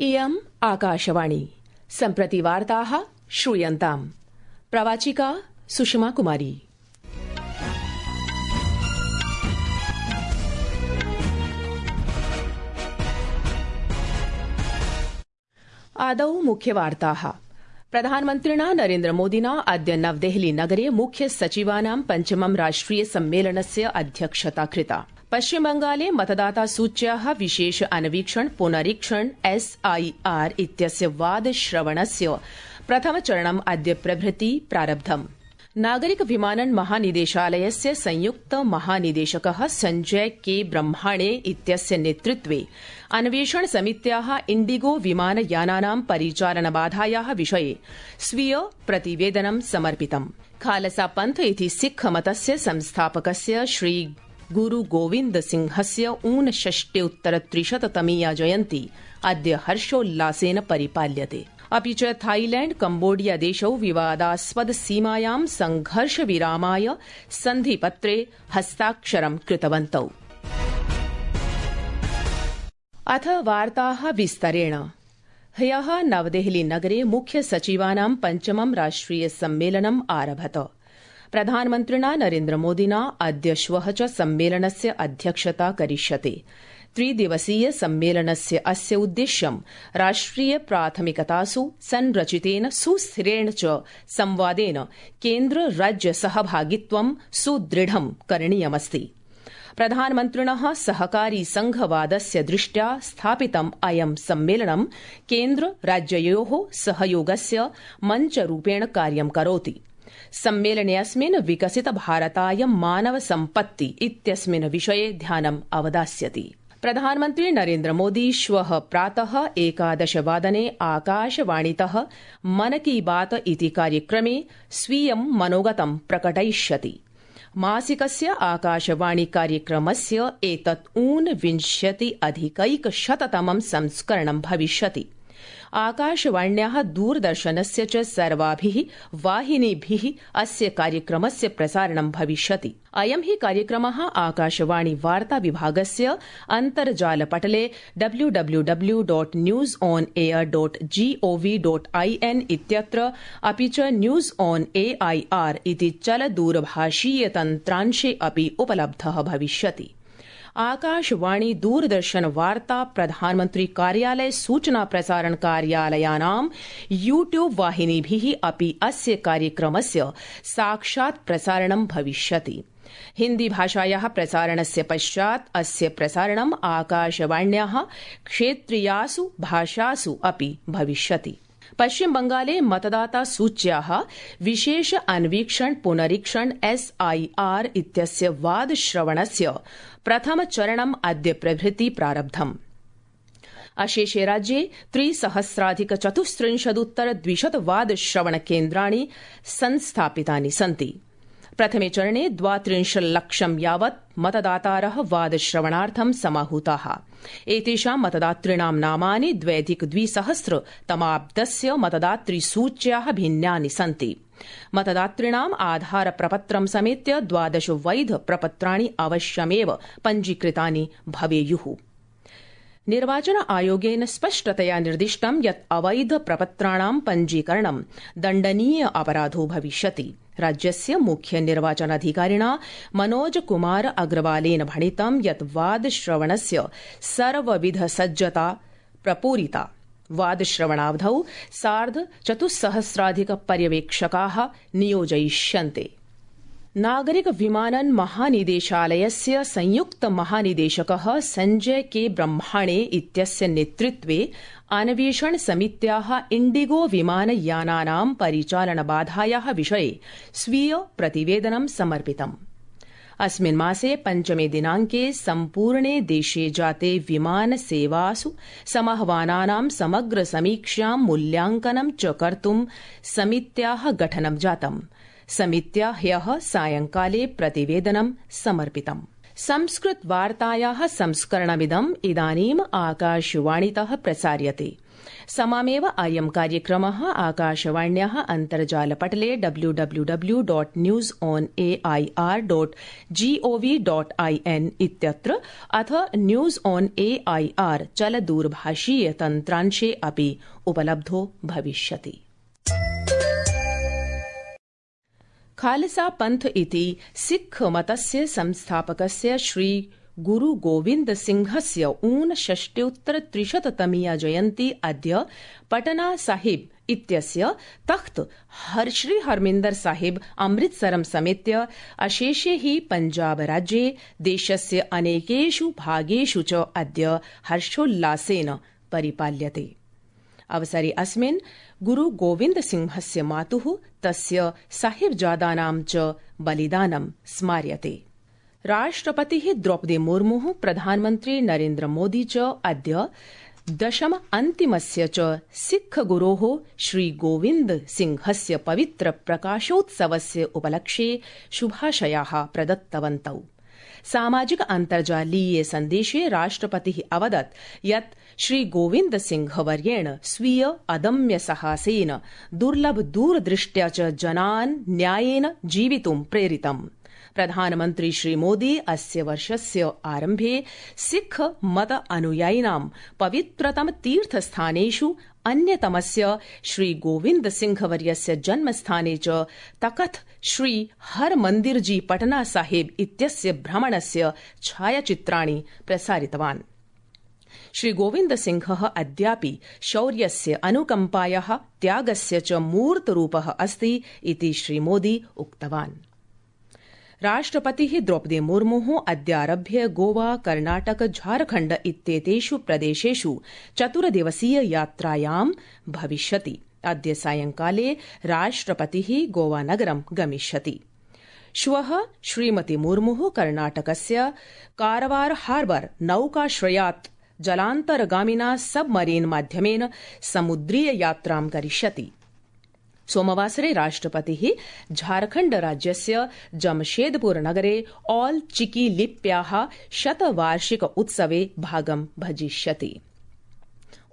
इयम् आकाशवाणी सम्प्रति वार्ताः श्रूयन्ताम्। प्रवाचिका सुषमा कुमारी। आदौ मुख्यवार्ताः। प्रधानमन्त्रिणा नरेन्द्रमोदिना अद्य नवदेहली नगरे मुख्य सचिवानां पञ्चमं राष्ट्रिय सम्मेलनस्य अध्यक्षता कृता। पश्चिमबंगाले मतदाता सूच्याः विशेष अन्वीक्षण पुनरीक्षण SIR इत्यस्य वादश्रवणस्य प्रथमचरणम् अद्य प्रभृति प्रारब्धम्। नागरिक विमानन महानिदेशालयस्य संयुक्त महानिदेशकः संजय के ब्रह्माणे इत्यस्य नेतृत्वे अन्वेषण समित्याः इण्डिगो विमानयानानां परिचालनबाधायाः विषये स्वीय प्रतिवेदनं समर्पितम्। खालसा पंथ इति सिक्ख मतस्य संस्थापकस्य श्री गुरु गोविन्द सिंहस्य ऊनषष्ट्युत्तरत्रिशततमीया जयन्ती अद्य हर्षोल्लासेन परिपाल्यते। अपि च थाईलैण्ड कम्बोडिया देशौ विवादास्पद सीमायां संघर्ष विरामाय सन्धिपत्रे हस्ताक्षरं कृतवन्तौ। अथ वार्ताः विस्तरेण। ह्यः नवदेहली नगरे मुख्य सचिवानां पञ्चमं राष्ट्रिय सम्मेलनम् आरभत। प्रधानमन्त्रिणा नरेन्द्रमोदिना अद्य श्वः च सम्मेलनस्य अध्यक्षता करिष्यते। त्रिदिवसीय सम्मेलनस्य अस्य उद्देश्यं राष्ट्रिय प्राथमिकतासु संरचितेन सुस्थिरेण च संवादेन केन्द्र राज्य सहभागित्वं सुदृढं करणीयमस्ति। प्रधानमन्त्रिणः सहकारी संघवादस्य दृष्ट्या स्थापितम् अयं सम्मेलनं केन्द्र राज्ययोः सहयोगस्य मञ्चरूपेण कार्यं करोति। सम्मेलनेऽस्मिन् विकसित भारताय मानव सम्पत्ति इत्यस्मिन् विषये ध्यानम् अवदास्यति। प्रधानमन्त्री नरेन्द्रमोदी श्वः प्रातः 11 वादने आकाशवाणीतः मन की बात इति कार्यक्रमे स्वीयं मनोगतं प्रकटयिष्यति। मासिकस्य आकाशवाणी कार्यक्रमस्य एतत् ऊनविंशत्यधिकैकशततमं संस्करणं भविष्यति। आकाशवाण्याः दूरदर्शनस्य च सर्वाभिः वाहिनीभिः अस्य कार्यक्रमस्य प्रसारणं भविष्यति। अयं हि कार्यक्रमः आकाशवाणी वार्ता विभागस्य अन्तर्जालपटले www.newsonair.gov.in इत्यत्र अपि च न्यूज ऑन AIR इति चलदूरभाषीय तन्त्रांशे अपि उपलब्धः भविष्यति। आकाशवाणी दूरदर्शन वार्ता प्रधानमन्त्री कार्यालय सूचना प्रसारण कार्यालयानां यूट्यूब वाहिनीभिः अपि अस्य कार्यक्रमस्य साक्षात् प्रसारणं भविष्यति। हिन्दी भाषायाः प्रसारणस्य पश्चात् अस्य प्रसारणम् आकाशवाण्याः क्षेत्रीयासु भाषासु अपि भविष्यति। पश्चिम बंगाले मतदाता सूच्याः विशेष अन्वीक्षण पुनरीक्षण SIR इत्यस्य वादश्रवणस्य प्रथमचरणम् अद्य प्रभृति प्रारब्धम्। अशेषे राज्ये 3,034,200 वादश्रवणकेन्द्राणि संस्थापितानि सन्ति। प्रथमे चरणे 32 लक्षं यावत् मतदातारः वादश्रवणार्थं समाहूताः। एतेषां मतदातॄणां नामानि 2002 मतदातृसूच्याः भिन्नानि सन्ति। मतदातॄणाम् आधार प्रपत्रं समेत्य 12 वैध प्रपत्राणि अवश्यमेव पञ्जीकृतानि भवेयुः। निर्वाचन आयोगेन स्पष्टतया निर्दिष्टं यत् अवैध प्रपत्राणां पञ्जीकरणं दण्डनीय अपराधो भविष्यति। राज्यस्य मुख्य निर्वाचनाधिकारिणा मनोज कुमार अग्रवालेन भणितं यत् वादश्रवणस्य सर्वविध सज्जता प्रपूरिता। वादश्रवणावधौ 4,500 पर्यवेक्षकाः नियोजयिष्यन्ते। नागरिक विमानन महानिदेशालयस्य संयुक्त महानिदेशकः संजय के ब्रह्माणे इत्यस्य नेतृत्वे अन्वेषण समित्याः इण्डिगो विमानयानानां परिचालनबाधायाः विषये स्वीय प्रतिवेदनं समर्पितम्। अस्मिन् मासे 5 दिनाङ्के सम्पूर्णे देशे जाते विमानसेवासु समाह्वानानां समग्र समीक्षां मूल्यांकनं च कर्तुं समित्याः गठनं जातम्। समित्या ह्यः सायंकाले प्रतिवेदनं समर्पितम्। संस्कृत वार्तायाः संस्करणमिदम् इदानीम् आकाशवाणीतः प्रसार्यते। समामेव अयं कार्यक्रमः आकाशवाण्याः अन्तर्जालपटले www.newsonair.gov.in इत्यत्र अथ न्यूज ऑन एआईआर चलदूरभाषीय तन्त्रांशे अपि उपलब्धो भविष्यति। खालसा पंथ इति सिक्ख मतस्य संस्थापकस्य श्री गुरु गोविन्द सिंहस्य 59-तमीया जयन्ती अद्य पटना साहिब इत्यस्य तख्त श्री हरमिन्दर साहिब अमृतसरं समेत्य अशेषे हि पंजाब राज्ये देशस्य अनेकेषु भागेषु च अद्य हर्षोल्लासेन परिपाल्यते। अवसरे अस्मिन् गुरु गोविन्द सिंहस्य मातुः तस्य साहिबजादानां च बलिदानं स्मार्यते। राष्ट्रपतिः द्रौपदी मुर्मुः प्रधानमन्त्री नरेन्द्र मोदी च अद्य दशम अन्तिमस्य च सिक्ख गुरोः श्री गोविन्द सिंहस्य पवित्र प्रकाशोत्सवस्य उपलक्ष्ये शुभाशयाः प्रदत्तवन्तौ। सामाजिक अन्तर्जालीये सन्देशे राष्ट्रपतिः अवदत् यत् श्री गोविन्द सिंहवर्येण स्वीय अदम्य साहसेन दुर्लभ दूरदृष्ट्या च जनान् न्यायेन जीवितुं प्रेरितम्। प्रधानमन्त्री श्री मोदी अस्य वर्षस्य आरम्भे सिक्ख मत अनुयायिनां पवित्रतम तीर्थस्थानेषु अन्यतमस्य श्री गोविन्द सिंहवर्यस्य जन्मस्थाने च तखत श्री हर मंदिर जी पटना साहिब इत्यस्य भ्रमणस्य छायाचित्राणि प्रसारितवान्। श्री गोविन्द सिंहः अद्यापि शौर्यस्य अनुकम्पायाः त्यागस्य च मूर्तरूपः अस्ति इति श्री मोदी उक्तवान्। राष्ट्रपतिः द्रौपदी मुर्मुः अद्यारभ्य गोवा कर्णाटक झारखण्ड इत्येतेषु प्रदेशेषु 4-दिवसीय यात्रायां भविष्यति। अद्य सायंकाले राष्ट्रपतिः गोवानगरं गमिष्यति। श्वः श्रीमती मुर्मुः कर्णाटकस्य कारवार हार्बर नौकाश्रयात् जलान्तर्गामिना सबमरीन माध्यमेन समुद्रीय यात्रां करिष्यति। सोमवासरे राष्ट्रपतिः झारखण्ड राज्यस्य जमशेदपुर नगरे ऑल चिकी लिप्याः शतवार्षिक उत्सवे भागं भजिष्यति।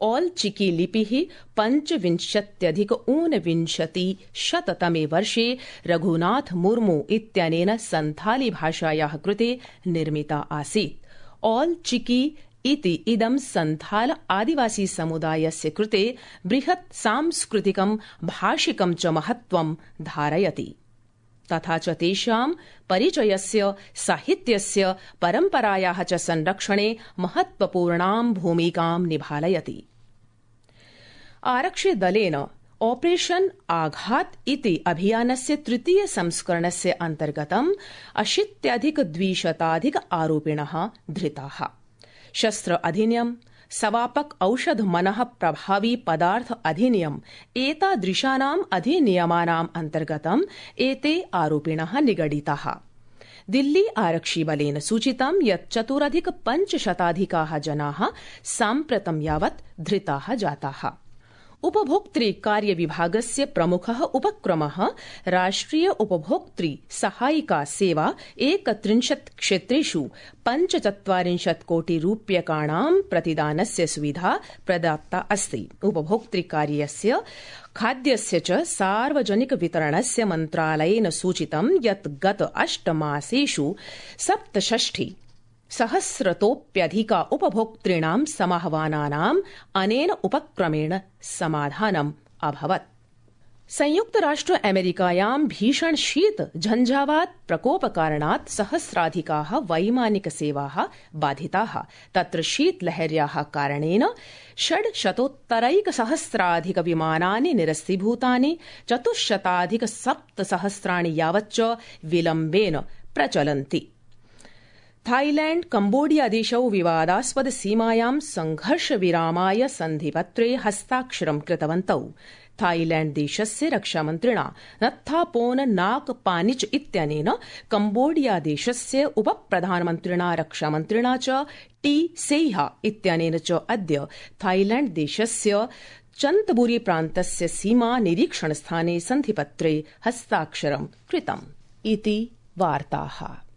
ऑल चिकी लिपिः 25-ऊनविंशतिशततमे वर्षे रघुनाथ मुर्मु इत्यनेन संथाली भाषायाः कृते निर्मिता आसीत्। ऑल चिकी इति इदं संथाल आदिवासी समुदायस्य कृते बृहत् सांस्कृतिकं भाषिकं च महत्त्वं धारयति तथा च तेषां परिचयस्य साहित्यस्य परम्परायाः च संरक्षणे महत्त्वपूर्णां भूमिकां निभालयति। आरक्षिदलेन ऑपरेशन आघात इति अभियानस्य तृतीय संस्करणस्य अन्तर्गतं 80-200 आरोपिणः धृताः। शस्त्र अधिनियम, सवापक औषध मनः प्रभावी पदार्थ अधिनियम एतादृशानाम् अधिनियमानाम् अन्तर्गतम् एते आरोपिणः निगडिताः। दिल्ली आरक्षिबलेन सूचितं यत् 4,500 जनाः साम्प्रतं यावत् धृताः जाताः। उपभोक्तृ कार्य विभागस्य प्रमुखः उपक्रमः राष्ट्रिय उपभोक्तृ सहायिका सेवा 31 क्षेत्रेषु 45 कोटि रूप्यकाणां प्रतिदानस्य सुविधा प्रदत्ता अस्ति। उपभोक्तृ कार्यस्य खाद्यस्य च सार्वजनिक वितरणस्य मन्त्रालयेन सूचितं यत् गत 8 मासेषु 67,000 उपभोक्तॄणां समाह्वानानाम् अनेन उपक्रमेण समाधानम् अभवत्। संयुक्त राष्ट्र अमेरिकायां भीषण शीत झंझावात प्रकोपकारणात् सहस्राधिकाः वैमानिक सेवाः बाधिताः। तत्र शीतलहर्याः कारणेन 600-सहस्राधिक विमानानि निरस्तीभूतानि, 400-700 यावच्च विलम्बेन प्रचलन्ति। थाईलैंड कम्बोडिया देशौ विवादास्पद सीमायां संघर्ष विरामाय सन्धिपत्रे हस्ताक्षरं कृतवन्तौ। थाईलैंड देशस्य रक्षामन्त्रिणा नत्थापोन नाकपानिच इत्यनेन कम्बोडिया देशस्य उपप्रधानमन्त्रिणा रक्षामन्त्रिणा च टी सेइहा इत्यनेन च अद्य थाईलैंड देशस्य चन्तबुरी प्रान्तस्य सीमा निरीक्षणस्थाने सन्धिपत्रे हस्ताक्षरं कृतम् इति वार्ताः।